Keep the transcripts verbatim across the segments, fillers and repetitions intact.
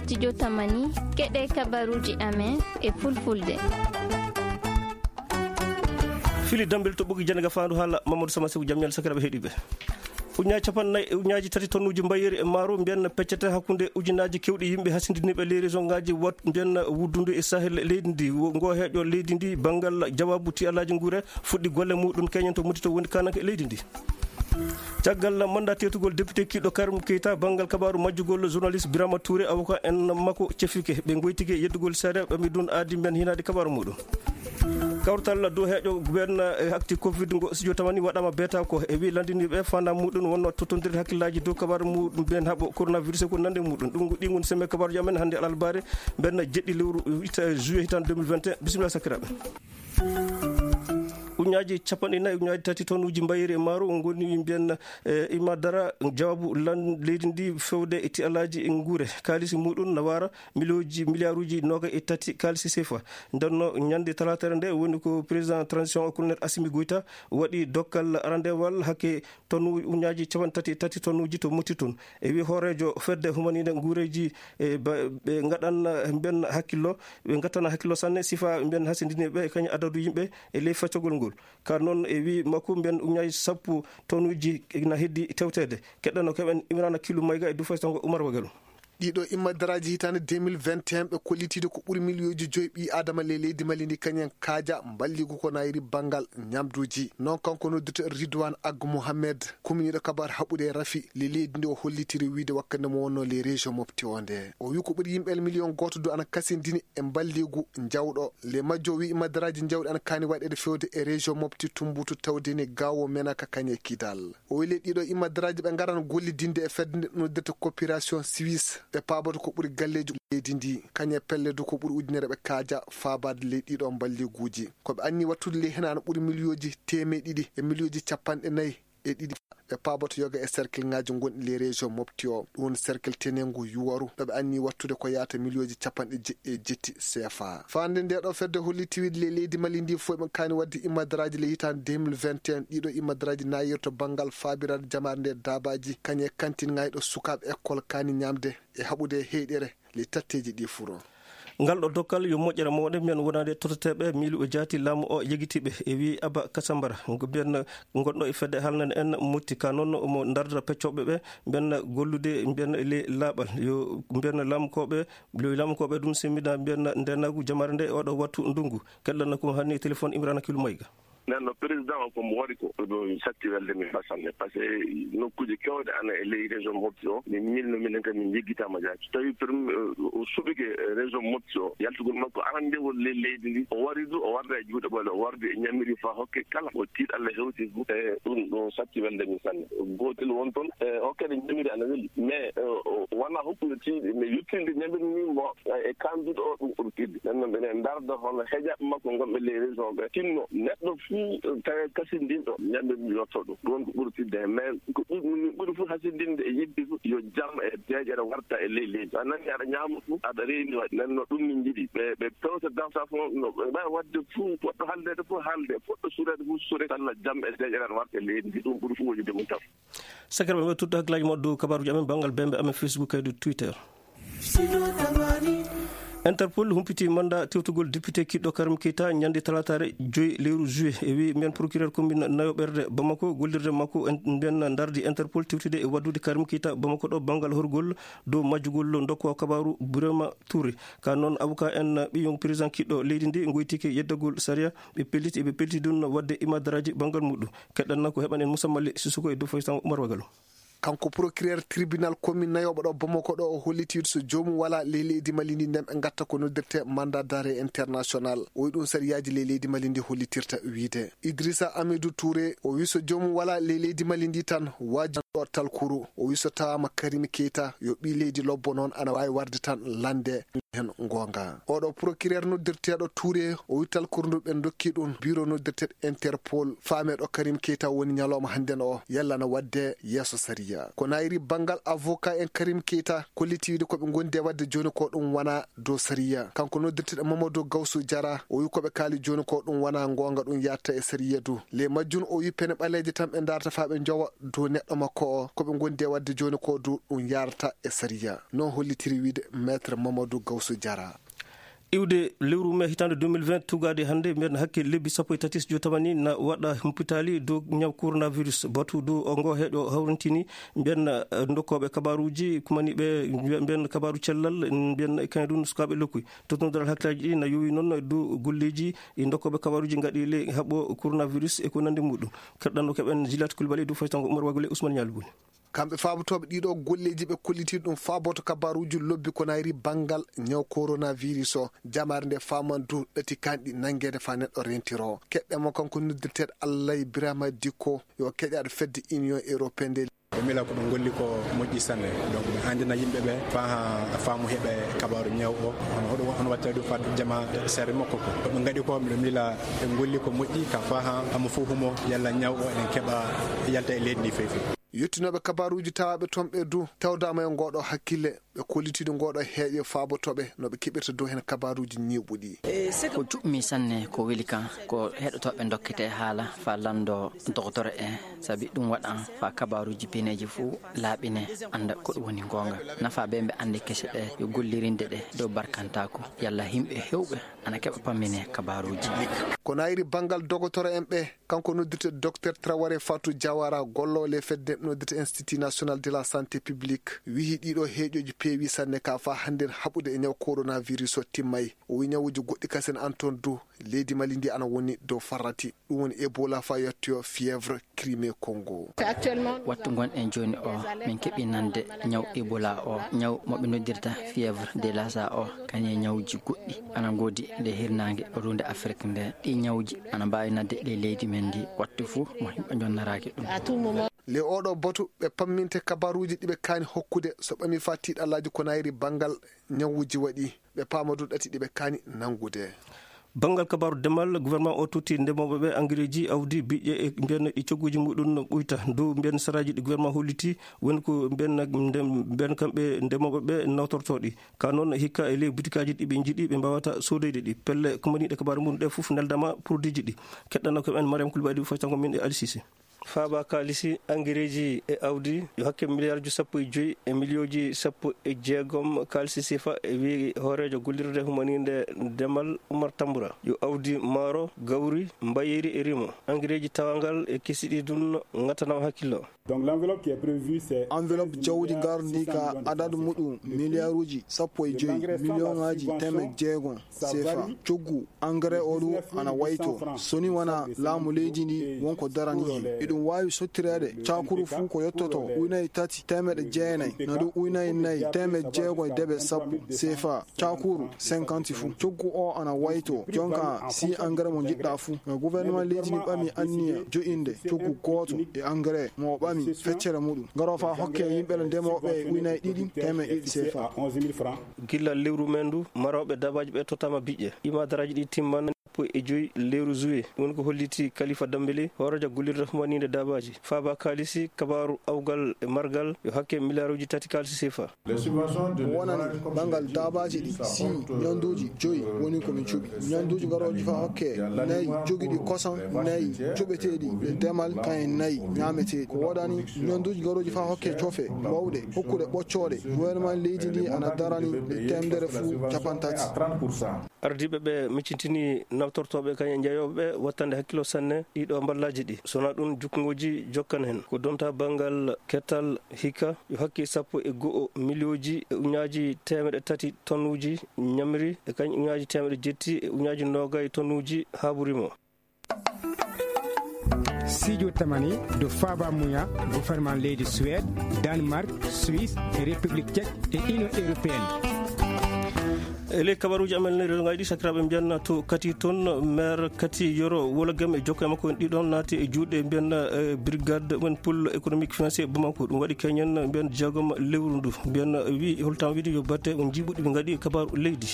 Studio Tamani, keɗe kabaruuji amen e Fulfulde. Fili Dambel to ɓogi jannga faandu haala Mamadou Sama Seku, jam ñalle sakiraaɓe heɗiiɓe. Ujunnaaji capanɗe nayi e ujunnaaji tati tonnuuji mbayeeri e maaro mbiyen peccete hakkunde ujunnaaji keewɗi yimɓe hasindiniiɓe ley région ngaaji wat mbiyen wuddundu e Sahel leydi ndi. Wo-, ngo heeƴo leydi ndi banngal jawaabu tiyalaaji nguure fuɗɗi golle muɗum keñen to muti to woni kananke leydi ndi. Caggal mandat teetugol député kiɗɗo Karim Keita, banngal kabaaru majjugol journaliste Birama Touré, avocat en makko cefike. Ɓe ngoytike yeddugol seeɗa, ɓe mi dun aadi mbiyen hinaade kabaaru muɗum. Kawtal dow heeƴo mbiyen, eh, hakti covid ngo studio Tamani waɗama beta ko e wi landiniɓe fanda muɗum wonno tottondirde hakkillaji dow kabaaru muɗum mbiyen haɓo coronavirus e ko nande muɗum. Ɗum ɗi ngon semme kabaaruji amen hannde alarbaare mbiyen jeɗɗi lewru ita-, juillet hitande deux mille vingt et un. Bisimilla sakiraaɓe. Ujunnaaji capanɗe nayi, ujunnaaji tati tonnuuji mbayeeri e maaro ngoni mbiyen, eh, imadara jawaabu lan leydi ndi fewde e tiyalaaji e nguure. Kaalisi muɗum na wara miliyooji, miliyaaruuji noga e tati kaalisi sefa. Ndenno ñande talaatere nde woni ko président transition colonel Assimi Goïta waɗi dokkal arandewal hakke tonnu ujunnaaji capanɗe tati e tati tonnuuji to motti tun. E wi hooreejo fedde humaninde nguureeji, e ba-, ɓe ngaɗan, eh, mbiyen hakkillo, ɓe ngattana hakkillo sanne sifa mbiyen hasindiniiɓe e kañum adadu yimɓe e ley feccogol ngol. Ka noon e wi makko mbiyen ujunnaaji sappo tonnuuji na heddi tewteede. Keɗɗano keɓen Imrana Kilu Mayga e Dufay Sango Umar Wagalo. Ɗiɗo imadaraaji hitaande deux mille vingt et un ɓe kollitiiɗo ko ɓuri miliyooji joyi ɓii Aadama ley leydi Mali ndi kañum en kaaja mballigu ko nayri banngal ñamduuji. Noon kanko noddirto Ridwan Ag Mohamed, kuminiiɗo kabaar haɓude e rafi ley leydi ndi o hollitiri wiyde wakkande mo wonno ley région Mopti o nde. O wi ko ɓuri yimɓe miliyon gooto du ana kasindini e mballigu njawɗo. Ley majjo o wi imadaraaji njawɗi ana kaani waɗeede fewde e région Mopti Tumbutu tawdeni gawo menaka kañe Kidal. O weli ɗiɗo imadaraaji ɓe ngaran gollidinde e fedde nde noddirta coopération suisse. Ɓe paaboto ko ɓuri galleeji leydi ndi. Kañe pelle du ko ɓuri ujunere ɓe kaaja faabaade ley ɗiɗo mballiguuji. Ko ɓe anni wattude ley hena no ɓuri miliyooji teemeɗe ɗiɗi e miliyooji capanɗe nayi e ɗiɗi. Ɓe paaboto yoga e cercle ŋaaji gonɗi ley région Mopti o. Ɗum woni cercle tenengu Yuwaru. Ɗo ɓe anni wattude ko yaata miliyooji capanɗe jeɗɗi e jetti C F A. Faande nde ɗo fedde holli tiwiiɗe ley leydi Mali ndi fof ɓe kaani waɗde imadaraaji ley hitaande deux mille vingt et un. Ɗiɗo imadaraaji nayirto banngal faabiraade jamaare nde daabaaji, kañe kantin ŋayɗo sukaaɓe école kaani ñaamde e haɓude e heyɗere ley tatteeji ɗi furo. Ngal ɗo dokkal yo moƴƴere mawɗe mbiyen wonaade tototeeɓe miilu e jaati laamu o yegitiiɓe e wi Aba Kasambara. Ngo mbiyen gonɗo e fedde halnane en motti ka noon omo ndardira peccooɓe ɓe mbiyen gollude mbiyen ley laaɓal. Yo mbiyen laamukooɓe Lewlaama ko ɓe ɗum semmida mbiyanna ndenagu jamaare nde e oɗo wattu ndungu. Keɗɗanna ko hanni e téléphone Imrana Kilu Mayga. Nden no président o ko mo waɗi ko ɗum satti welde min basanne, parce que nokkuuji kewɗe ana e ley région Mopti o min milno minen kam min jeggitama jaaki. So tawi prim o suɓike région Mopti o yaltugol makko arandewol ley leydi ndi, o wari du o warda e juuɗe ɓole, o wardi e ñamiri fa hokke kala o tiiɗalla hewti fu e ɗum ɗum satti welde min sanne. Gootel won toon e hokkede ñamiri ana weli mais wona hokkude tiiɗe mais yettinde ñamiri ni mo e kanduɗo o ɗum ɓurtirde. Nden noon mbiɗen ndarda hono heejaɓe makko ngonɓe ley région ɓe tinno neɗɗo fuu tawi kasindinɗo ñamiri yotto ɗum ɗum woni ko ɓurtirde heen mais ko ɓuri min ɓuri fof hasindinde e yidde fof yo jam e deeƴere warta e ley leydi a nani aɗa ñaama fof aɗa reeni waɗi nden no ɗum min njiɗi ɓe ɓe pewta dawta fof no ɓe mbawi waɗde fof poɗɗo haldeede fof haalde poɗɗo suureede fof suure kala jam e deeƴere aɗa warta e leydi ndi ɗum ɓuri fof wojude mum tan. Sakiraaɓe ɓe tutto hakkilaaji maɓɓe dow kabaaruuji amen banngal bembe amen Facebook kaydi Twitter. Interpol humpiti manda tewtugol député kiɗɗo Karim Keita ñande talataare joyi lewru juillet e wi mbiyen procureur commune nayoɓerde Bamako gollirde makko mbiyen ndardi Interpol tewtude e waddude Karim Keita Bamako ɗo banngal horgol dow majjugol dokko kabaaru Burema Touré. Ka noon avocat en ɓiyon président kiɗɗo leydi ndi ngoytike yeddagol sariya ɓe pelliti eɓe pelliti ɗum waɗde imadaraaji banngal muɗum. Keɗɗanna ko heɓan en Moussa Mali Sissoko e dow Faysal Oumar Wagalo. Kanko procureur tribunal commune nayoɓo ɗo Bamako ɗo o holliti so joomum wala ley leydi Mali ndi nden ɓe gatta ko noddirte mandat d'arrêt international o wi ɗum sariyaaji ley leydi Mali ndi hollitirta wiide Idrissa Amidou Touré o wi so joomum wala ley leydi Mali ndi tan waaji ɗo talkuru o wi so tawama Karim Keita yo ɓi leydi lobbo noon ana wawi warde tan lande. Heen goonga. Oɗo procureur noddirteeɗo Touré, o wi talkuru ndu ɓe ndokki ɗum biro noddirteeɗo Interpol, faameeɗo Karim Keita woni ñalawma hannden o, yalla na waɗde yeeso sariya. Ko nayri banngal avocat en Karim Keita, kolliti wiide ko ɓe ngondi e waɗde jooni ko ɗum wona dow sariya. Kanko noddirteeɗo Mamadou Gawsu Jara, o wi ko ɓe kaali jooni ko ɗum wona goonga, ɗum yarata e sariya du. Le majjum o wi pene ɓaleeje tan ɓe ndarata faa ɓe njowa dow neɗɗo makko o, ko ɓe ngondi e waɗde jooni ko du ɗum yarata e sariya. Noon hollitiri wiide Maître Mamadou Gawsu Jara. Iwde lewru mee hitaande deux mille vingt tugaade hannde, mbiyen hakke lebbi sappo e tati so jotamani na waɗa humpitaali dow ñaw coronavirus. Batu dow o ngo heeɗo hawrintini, mbiyen, eh, ndokkooɓe kabaaruuji kumani ɓe, mbiyen kabaaru cellal, mbiyen kañum ɗum sukaaɓe lokkuy. Totnodaral hakkillaaji ɗi na yowi noon dow golleeji e ndokkooɓe kabaaruuji ngaɗi le haɓɓo coronavirus e ko nanndi muɗum. Kerɗanɗo keɓen Juliette Coulibaly dow faytango Oumar Wagule Ousmane Ñaali Buni. Kamɓe faabotooɓe ɗiɗo golleeji ɓe kolliti ɗum faaboto kabaaruuji lobbi ko nayri banngal ñaw coronavirus o. Jamaare nde faaman du ɗati kanɗi nanngeede faa neɗɗo rentiro. Keɗɗe mo kanko noddirteeɗo Allay Birama Dikko yo keƴaaɗo fedde Union Européenne nde. Ɓe mila ko ɓe ngolli ko moƴƴi sanne. Donc, ɓe anndina yimɓe ɓe faa haa faamu heɓe kabaaru ñaw o. Hono hoɗo, hono wattata ɗum faa jama seere makko ko. Ko ɓe ngaɗi ko, miɗo mila ɓe ngolli ko moƴƴi ka faa haa hamo fof humo yalla ñaw o eɗen keɓa yalta e leydi ndi feefi. Yottinooɓe kabaaruuji tawaaɓe toon ɓe du tawdaama e ngooɗo hakkille, ɓe kollitiiɗo ngooɗo heeƴo faabotooɓe no ɓe keɓirta dow heen kabaaruuji ñiiɓuɗi. Ko juɓmi sanne ko weli kan, ko heɗotooɓe ndokkete haala faa lanndo doktoro en, sabi ɗum waɗan faa kabaaruuji pineeji fuu laaɓine, annda ko ɗum woni goonga. Nafaa ɓe ɓe anndi kese ɓe yo gollirinde ɗe dow barkantaaku, yalla yimɓe heewɓe ana keɓa pammine kabaaruuji. Ko nayri banngal dogotoro en ɓe, kanko noddirte Docteur Traoré Fatou Diawara, golloowo le fedde noddirte Institut National de la Santé Publique, wiyi ɗiɗo heeƴooji peewi sanne ka faa hannden haɓude e ñaw coronavirus o timmay. O wiyi ñawuuji goɗɗi kasen an toon du, leydi Mali ndi ana woni dow farrati. Ɗum woni Ebola faa yettoyo fièvre Crimée Congo. Wattu ngonɗen jooni o, min keɓi nande ñaw Ebola o, ñaw mo ɓe noddirta fièvre de Lassa o, kañum e ñawuuji goɗɗi ana ngoodi nde hirnaange ruunde Afrik nde. Ɗi ñawuuji ana mbaawi nadde ley leydi men ndi wattu fuu mo yimɓe njonnaraaki ɗum. Le oɗo batu ɓe pamminte kabaaruuji ɗi ɓe kaani hokkude so ɓami faa tiiɗallaaji ko nayri banngal ñawuuji waɗi. Ɓe paama du ɗati ɗi ɓe kaani nanngude. Banngal kabaaru demal, gouvernement o totti ndemooɓe ɓe angareeji, awdi, biƴƴe e mbiyen ɗi cogguuji muɗum no ɓuyta. Dow mbiyen saraaji ɗi gouvernement holliti, woni ko mbiyen, mbiyen kamɓe ndemooɓe ɓe nawtortoo ɗi. Ka noon hikka e ley butikaaji ɗi ɓe njiɗi ɓe mbaawata soodoyde ɗi. Pelle kumaniiɗe kabaaru mum ɗe fof neldama produitji ɗi. Keɗɗanoo ko ɓen Mariam Koulibaly, faytango min e Ali Cissé. Faaba kaalisi angareeji e awdi yo hakke miliyarji sappo e joy e miliyooji sappo e jeegom kaalisi sifa, e wi'i hooreejo gollirde humaniinde demal Umar Tambura. Yo awdi maaro, gawri, mbayeeri e rimo, angareeji tawangal e kesi ɗi ɗum ŋattanama hakkillo. Donc l'enveloppe qui est prévue, c'est enveloppe jawdi ngarndi ka adadu muɗum miliyaaruuji sappo e joy miliyonŋaaji teemeɗɗe jeegom sefa. Coggu engrais o ɗum ana wayto. So ni wona laamu leydi ndi won ko darani hen. Eɗum waawi sottireede cakuru fuu ko yottoto ujunaaji tati teemeɗɗe jeenayi, na ɗum ujunaaji nayi teemeɗɗe jeegom e debe sappo sefa. Cakuru cinquante fuu. Coggu o ana wayto. Jonka si engrais mo njiɗɗa fuu. Nga gouvernement leydi ndi ɓami anniya jo'inde coggu gooto e engrais mo o ɓami feccere muɗum. Ngaro faa hokke yimɓe le ndemooɓe e ujunaaji ɗiɗi teemeɗɗe ɗiɗi sefa. Gilla lewru men ndu, marooɓe dabaaji ɓe tottama biƴƴe. Ɗi madaraaji ɗi timman sappo e joy lewru juillet. Ɗum woni ko holliti Kalifa Dambele, hooreejo gollirde humaniinde dabaaji. Faaba kaalisi, kabaaru awgal e margal yo hakke miliyaaruuji tati kaalisi sefa. Ko wonani banngal daabaaji ɗi, si ñannduuji joyi woni ko min cuɓi. Ñannduuji garooji faa hokke nayi jogiiɗi kosam nayi cuɓeteeɗi e demal, kañe nayi ñaameteeɗi. Ko wonani ñannduuji garooji faa hokke cofe mawɗe, hokkuɗe ɓoccooɗe. Gouvernement leydi ndi ana darani e teemedere fuu capantati. Ardiiɓe ɓe miccintini nawtortooɓe kañum e jeyooɓe ɓe wattande hakkillo sanne ɗiɗo mballaaji ɗi. So wonaa ɗum, jukngooji jokkan heen. Ko donta banngal kettal hikka yo hakke sappo e go'o miliyooji e ujunaaji teemeɗɗe tati tonnuuji ñamri e kañum ujunaaji teemeɗɗe jetti e ujunaaji noogay tonnuuji haaburimo. Sijo tamani do faba muya gouvernement leydi Suède, Danemark, Suisse e République Tchèque e Union Européenne. E ley kabaruuji amen ley rendoŋaaji ɗi, sakiraaɓe, mbiyan to Kati toon, maire Kati Yoro Wolagem e jokkoo e makko en ɗiɗon naati e juuɗe mbiyan, eh, brigade men pôle économique financier Bamako. Ɗum waɗi keñen mbiyan jeegom lewru ndu. Mbiyan wi holtam wiide yo batte on jiiɓuɗi ɓe ngaɗi e kabaaru leydi.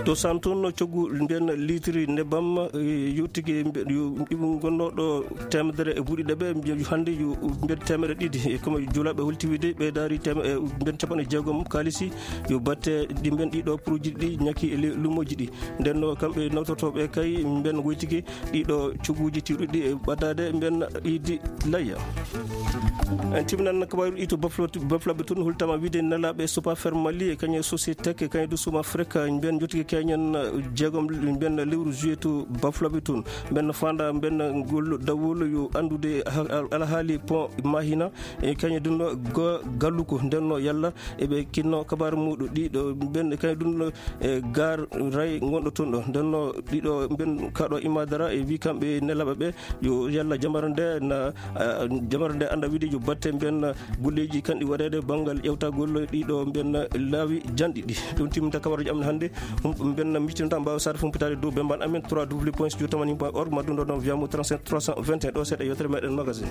To Sam toon coggu mbiyan litiri nebbam, eh, yottike mbiyan yo, yo gonnoɗo teemedere e buuɗi ɗiɗi, mbiyan hannde yo mbiyan teemedere ɗiɗi. E comme julaaɓe holti wiide ɓeydaari teem-, eh, mbiyan capanɗe jeegom kaalisi yo batte ɗi mbiyan ɗiɗo produit ɗi ñaki e le-, lumoji ɗi. Nden no kamɓe nawtotooɓe kay mbiyan woytike ɗiɗo cogguuji tiiɗuɗi e ɓaddaade mbiyan iidi layya. En timminan kabaaru ɗi to Baflo-, Baflaɓe toon, holtama wiide nelaaɓe Sopa Fermali e kañum Sociétec e kañum du Suma Freka mbiyan jottike keñen jeegom mbiyan lewru juillet to Baflaɓe toon. Mbiyan faanda mbiyan ngol dawol yo anndude ha-, alhaali pont Mahina e kañum dunno go-, galluko. Nden no yalla eɓe kinno kabaaru muɗum ɗiɗo mbiyan kañum dunno e gar ray gonɗo toon ɗo. Nden no ɗiɗo mbiyan kaɗo imadara e wi kamɓe nelaaɓe ɓe yo yalla jamare nde na, ah, jamare nde annda wiide yo batte mbiyan golleeji kanɗi waɗeede banngal ƴewtagol ɗiɗo mbiyan laawi janɗi ɗi. Ɗum timminta kabaruuji amen hannde. Hum-, mbiyan miccinta mbaawa saare fumpitaade dow bemban amen trois W point studio tamani point org, ma ɗum ɗo ɗon via mo trente-sept trois cent vingt et un. Ɗo seeɗa yewtere meɗen magazine.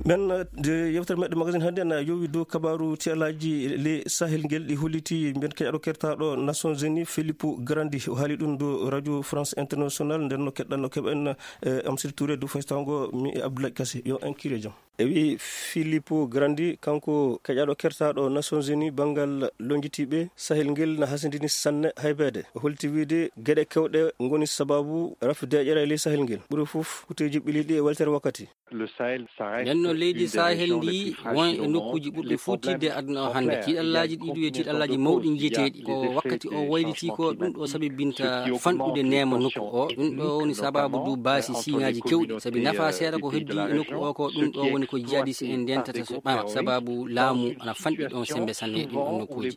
Men, eh, de yewtere meɗen magazine hannde na yowi dow kabaaru tiɗallaaji le Sahel ngel ɗi holliti mbiyan keñaɗo kertaɗo Nations Unies Filippo Grandi. O haali ɗum dow Radio France International, nden no keɗɗan no keɓen, eh, Amsir Touré dow faystago mi e Abdoulaye Kassé. Yo en kiire jam. E wi Filippo Grandi, kanko keƴaɗo kertaɗo Nations Unies banngal lonjitiiɓe Sahel ngel na hasindini sanne haybeede. O holti wiide geɗe kewɗe ngoni sababu rafi deeƴere e ley Sahel ngel. Ɓuri fof kuteeji ɓiliɗi e weltere wakkati. Nden no leydi Sahel ndi won e nokkuuji ɓurɗi fuu tiiɗde e aduna o hannde. Tiiɗallaaji ɗi ɗum e tiiɗallaaji mawɗi njiyeteeɗi. Ko wakkati o wayliti ko ɗum ɗo sabibinta fanɗude neema nokku o. Ɗum ɗo woni sababu du baasi siiŋaaji kewɗi. Sabi nafa seeɗa ko heddi e nokku o ko ɗum ɗo woni ko jihadis en ndentata so ɓama. Sababu laamu ana fanɗi ɗon sembe sanne e ɗin ɗon nokkuuji.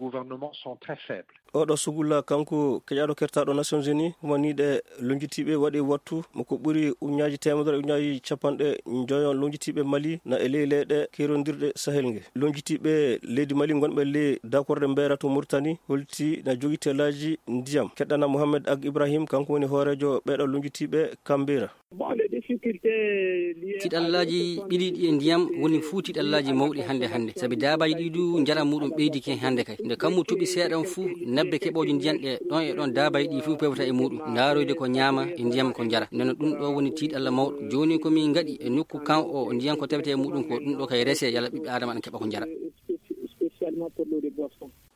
Oɗo sugulla kanko keƴaɗo kertaɗo Nations Unies, humaniiɗe lonjitiiɓe waɗi wattu mo ko ɓuri uñaaji teemedere, uñaaji capanɗe njoyo lonjitiiɓe Mali na e ley leyɗe kerondirɗe Sahel nge. Lonjitiiɓe leydi Mali gonɓe ley dakorde Mbera to Mauritanie holti na jogi telaaji ndiyam. Keɗɗana Mohamed Ag Ibrahim, kanko woni hooreejo ɓeɗo lonjitiiɓe Kambera. Tiɗallaaji ɓiliiɗi e ndiyam woni fuu tiɗallaaji mawɗi hannde hannde, sabi daabaaji ɗi du njaram muɗum ɓeydike hannde kay. Nde kammu toɓi seeɗan fuu, nebbe keɓooje ndiyam ɗe ɗon e ɗon daabaaji ɗi fuu pewta e muɗum, ndaaroyde ko ñaama e ndiyam ko njara. Nden no ɗum ɗo woni tiɗalla mawɗo. Jooni ko min ngaɗi e nokku kan o ndiyam ko tawete e muɗum ko ɗum ɗo kay rese yalla ɓiɓɓe Aadama ana keɓa ko njara.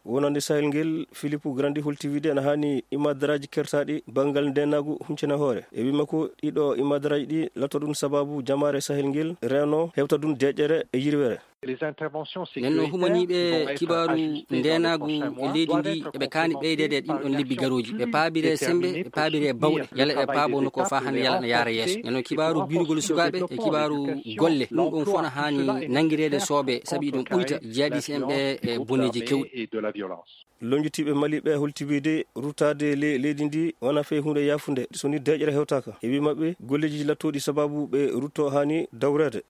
Wonande Sahel ngel, Filippo Grandi holti wiide ene haani imadaraaji kertaaɗi banngal ndeenaagu huncina hoore. E wii makko, ɗiɗo imadaraaji ɗi lato ɗum sababu jamaare Sahel ngel reeno hewta ɗum deeƴere e yirwere. Nden no humaniiɓe kibaaru ndeenaagu e leydi ndi eɓe kaani ɓeydeede e ɗin ɗon lebbi garooji. Ɓe paabire sembe, ɓe paabire bawɗe. Yalla ɓe paabo no ko faa hannde yalla na yaara yeeso. Nden no kibaaru biirugol sukaaɓe e kibaaru golle. Ɗum ɗon fof na haani nanngireede soobe, sabi ɗum ɓuyta jihadis en ɓe e boneeji kewɗi. Lonjitiiɓe Mali ɓe holti wiide ruttaade le-, leydi ndi wona fey huunde yaafunde so ni deeƴere hewtaaka. E wii maɓɓe, golleeji lattooɗi sababu ɓe ruttoo haani dawreede.